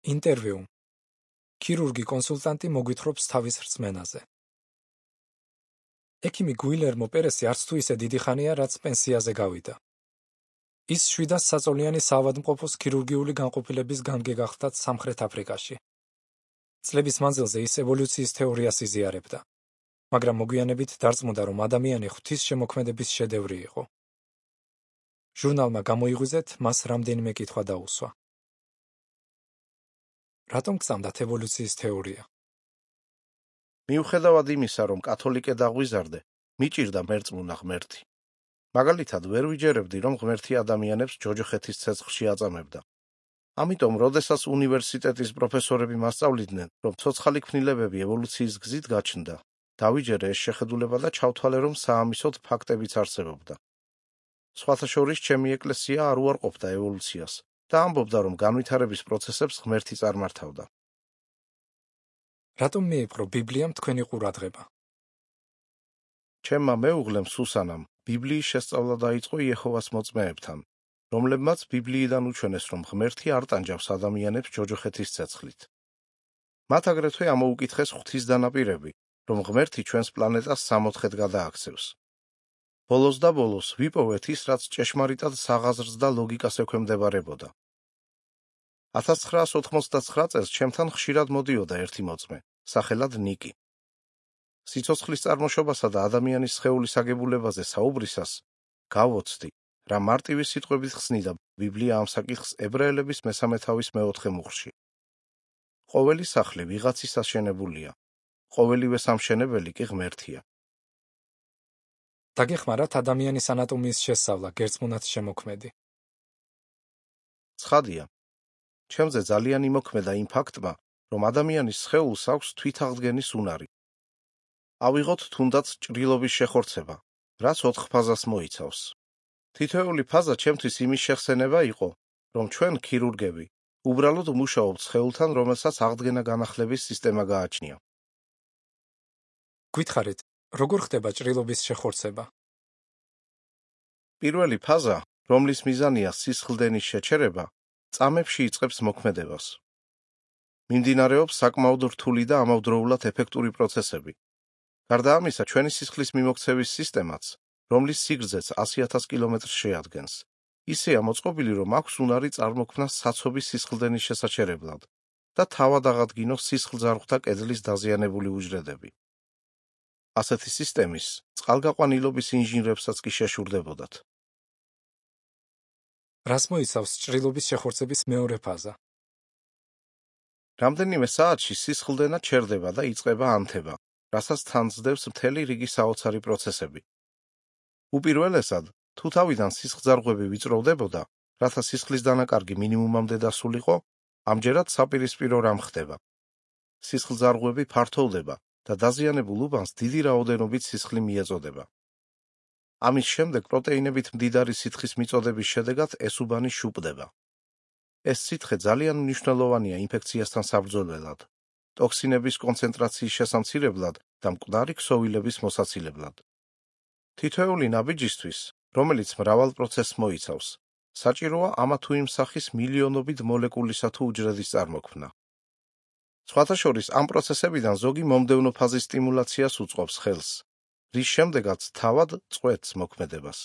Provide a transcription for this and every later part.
ინტერვიუ. ქირურგი-კონსულტანტი მოგვითხრობს თავის რწმენაზე. ექიმი გუილერმო პერესი არც თუ ისე დიდი ხანია, რაც პენსიაზე გავიდა. ის 700 საწოლიანი საავადმყოფოს ქირურგიული განყოფილების გამგე გახდა სამხრეთ აფრიკაში. წლების მანძილზე ის ევოლუციის თეორიას იზიარებდა, მაგრამ მოგვიანებით დარწმუნდა, რომ ადამიანი ღვთისშემოქმედების შედევრი იყო. ჟურნალმა გამოიღვიძეთ, მას რამდენიმე კითხვა დაუსვა. რატომ გწამდათ ევოლუციის თეორია? მიუხედავად იმისა, რომ კათოლიკე დაღვიზარდე, მიჭირდა მერწმუნა ღმერთი. მაგალითად, ვერ ვიჯერებდი, რომ ღმერთი ადამიანებს ჯოჯოხეთის ცეცხლში აწამებდა. ამიტომ, როდესაც უნივერსიტეტის პროფესორები მასწავლიდნენ, რომ ცოცხალი ქმნილებები ევოლუციის გზით გაჩნდა, დავიჯერე ეს შეხედულება და ჩავთვალე, რომ საამისოდ ფაქტებიც არსებობდა. სხვათა შორის, ჩემი ეკლესია არ უარყოფდა ევოლუციას და ამბობდა, რომ განვითარების პროცესებს ღმერთი წარმართავდა. რატომ მიიპყრო ბიბლიამ თქვენი ყურადღება? ჩემმა მეუღლემ სუსანამ ბიბლიის შესწავლა დაიწყო იეჰოვას მოწმეებთან, რომლებმაც ბიბლიიდან უჩვენეს, რომ ღმერთი არ ტანჯავს ადამიანებს ჯოჯოხეთის ცეცხლით. მათ აგრეთვე ამოუკითხეს ღვთის დანაპირები, რომ ღმერთი ჩვენს პლანეტას 64-ად გადააქცევს. ბოლოს და ბოლოს ვიპოვეთ ის, რაც ჭეშმარიტად საღაზრს და ლოგიკას ექვემდებარებოდა. 1989 წელს ჩემთან ხშირად მოდიოდა ერთი მოწმე, სახელად ნიკი. სიცოცხლის წარმოშობასა და ადამიანის სხეულის აგებულებაზე საუბრისას გავოცდი, რა მარტივი სიტყვებით ხსნიდა ბიბლია ამ საკითხს ებრაელების 13 თავის 4 მუხლში. ყოველი სახლი ვიღაცის აშენებულია, ყოველივე სამშენებელი კი ღმერთია. დაგეხმარათ ადამიანის ანატომიის შესწავლა, გერწმუნათ შემოქმედი. ცხადია, ჩემზე ძალიან იმოქმედა იმ ფაქტმა, რომ ადამიანის სხეულს აქვს თვითაღდგენის უნარი. ავიღოთ თუნდაც ჭრილობის შეხორცება, რაც 4 ფაზას მოიცავს. თითოეული ფაზა ჩემთვის იმის შეხსენება იყო, რომ ჩვენ ქირურგები უბრალოდ მუშაობთ სხეულთან, რომელსაც აღდგენა განახლების სისტემა გააჩნია. გითხარით, როგორ ხდება ჭრილობის შეხორცება? პირველი ფაზა, რომლის მიზანია სისხლდენის შეჩერება, წამებში იწყებს მოქმედებას. მიმდინარეობს საკმაოდ რთული და ამავდროულად ეფექტური პროცესები. გარდა ამისა, ჩვენი სისხლის მიმოქცევის სისტემაც, რომლის სიგრძეც 100,000 კილომეტრს შეადგენს, ისეა მოწყობილი, რომ აქვს უნარი წარმოქმნას საცობის სისხლდენის შესაჩერებლად და თავად აღადგინოს სისხლძარღვთა კედლის დაზიანებული უჯრედები. ასეთი სისტემის წყალგაყვანილობის ინჟინრებსაც კი შეშურდებოდათ. რას მოიცავს ჭრილობის შეხორცების მეორე ფაზა? რამდენიმე საათში სისხლდენა ჩერდება და იწყება ანთება, რასაც თან ძდევს მთელი რიგი საოცარი პროცესები. უპირველესად, თუ თავიდან სისხლძარღვები ვიწროვდებოდა, რათა სისხლის დანაკარგი მინიმუმამდე დასულიყო, ამჯერად საპირისპირო რამ ხდება. სისხლძარღვები ფართოვდება და დაზიანებულ უბანს დიდი რაოდენობით სისხლი მიეწოდება. ამის შემდეგ პროტეინებით მდიდარი სითხის მიწოდების შედეგად ეს უბანი შუპდება. ეს სითხე ძალიან მნიშვნელოვანია ინფექციასთან საბრძოლველად, ტოქსინების კონცენტრაციის შესამცირებლად და მკვდარი ქსოვილების მოსაცილებლად. თითოეული ნაბიჯისთვის, რომელიც მრავალ პროცესს მოიცავს, საჭიროა ამა თუ იმ სახის მილიონობით მოლეკულისა თუ უჯრედის წარმოქმნა. სხვათა შორის, ამ პროცესებიდან ზოგი მომდევნო ფაზის სტიმულაციას უწყობს ხელს, რის შემდეგაც თავად წყვეტს მოქმედებას.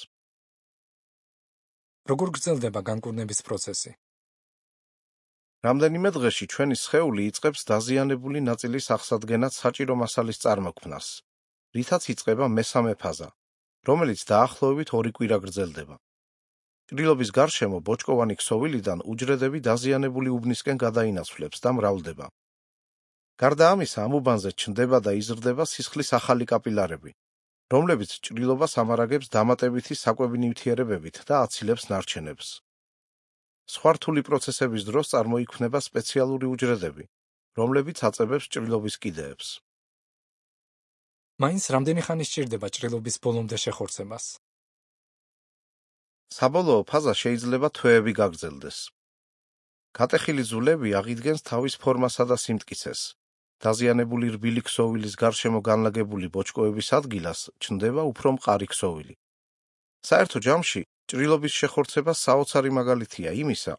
როგორ გრძელდება განკურნების პროცესი? რამდენიმე დღეში ჩვენი სხეული იწყებს დაზიანებული ნაწილის აღსადგენად საჭირო მასალის წარმოქმნას, რითაც იწყება მესამე ფაზა, რომელიც დაახლოებით 2 კვირა გრძელდება. ჭრილობის გარშემო ბოჭკოვანი ქსოვილიდან უჯრედები დაზიანებული უბნისკენ გადაინაცვლებს და მრავლდება. გარდა ამისა, ამ უბანზე ჩნდება და იზრდება სისხლის ახალი კაპილარები, რომლებიც ჭრილობას ამარაგებს დამატებითი საკვები ნივთიერებებით და აცილებს ნარჩენებს. სხვა რთული პროცესების დროს წარმოიქმნება სპეციალური უჯრედები, რომლებიც აწებებს ჭრილობის კიდეებს. მაინც რამდენი ხანი სჭირდება ჭრილობის ბოლომდე შეხორცებას? საბოლოო ფაზა შეიძლება თვეები გაგრძელდეს. გატეხილი ძვლები აღიდგენს თავის ფორმასა და სიმტკიცეს. დაზიანებული რბილი ქსოვილის გარშემო განლაგებული ბოჭკოების ადგილას ჩნდება უფრო მყარი ქსოვილი. საერთო ჯამში ჭრილობის შეხორცება საოცარი მაგალითია იმისა,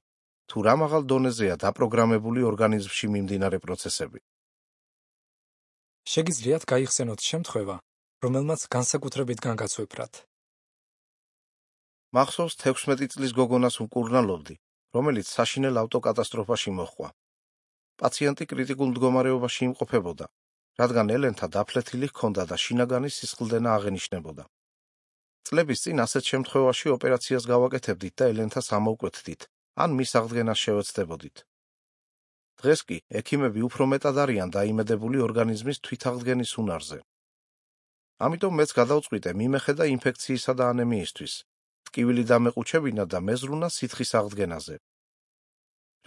თუ რა მაღალ დონეზეა დაპროგრამებული ორგანიზმში მიმდინარე პროცესები. შეგიძლიათ გაიხსენოთ შემთხვევა, რომელმაც განსაკუთრებით განგაცვეფრათ. მახსოვს 16 წლის გოგონას ვმკურნალობდი, რომელიც საშინელ ავტოკატასტროფაში მოჰყვა. პაციენტი კრიტიკულ მდგომარეობაში იმყოფებოდა, რადგან ელენთა დაფლეთილი ჰქონდა და შინაგანი სისხლდენა აღენიშნებოდა. წლების წინ ასეთ შემთხვევაში ოპერაციას გავაკეთებდით და ელენთას ამოვკვეთდით, ან მის აღდგენას შევეცდებოდით. დღეს კი ექიმები უფრო მეტად არიან დაიმედებული ორგანიზმის თვითაღდგენის უნარზე. ამიტომ მეც გადავწყვიტე მიმეხედა ინფექციისა და ანემიისთვის, ტკივილი დამეყუჩებინა და მეზრუნა სითხის აღდგენაზე.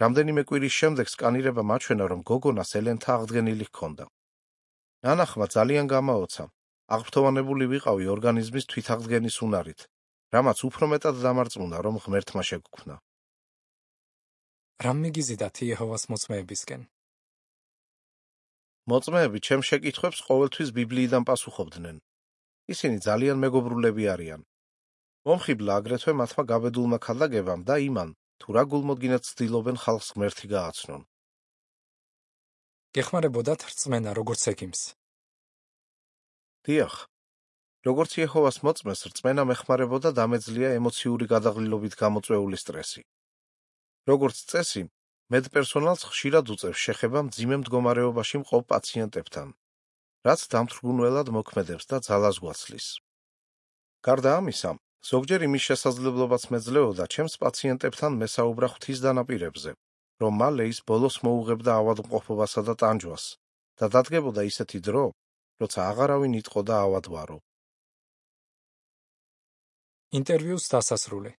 რამდენიმე კვირის შემდეგ სკანირება მაჩვენა, რომ გოგონას ელენთა აღდგენილი ჰქონდა. ნანახმა ძალიან გამაოცა. აღფრთოვანებული ვიყავი ორგანიზმის თვითაღდგენის უნარით, რამაც უფრო მეტად დამარწმუნა, რომ ღმერთმა შეგგვქნა. რამ მიგიზიდათ იეჰოვას მოწმეებისკენ? მოწმეები ჩემ შეკითხვებს ყოველთვის ბიბლიიდან პასუხობდნენ. ისინი ძალიან მეგობრულები არიან. მომხიბლა აგრეთვე მათმა გაბედულმა ქადაგებამ და იმან, თუ რა გულმოდგინედ ცდილობენ ხალხს ღმერთი გააცნონ. გეხმარებოდათ რწმენა როგორც ექიმს? დიახ. როგორც იეჰოვას მოწმეს, რწმენა მეხმარებოდა დამეძლია ემოციური გადაღლილობით გამოწვეული სტრესი. როგორც წესი, მედპერსონალს ხშირად უწევს შეხება მძიმე მდგომარეობაში მყოფ პაციენტებთან, რაც დამთრგუნველად მოქმედებს და ძალას გვაცლის. გარდა ამისა, ზოგჯერ იმის შესაძლებლობაც მეძლეოდა ჩემს პაციენტებთან მესაუბრა ღვთის დანაპირებზე, რომ მალე ის ბოლოს მოუღებდა ავადმყოფობასა და ტანჯვას და დადგებოდა ისეთი დრო, როცა აღარავინ იტყოდა ავადვარო. ინტერვიუს დასასრული.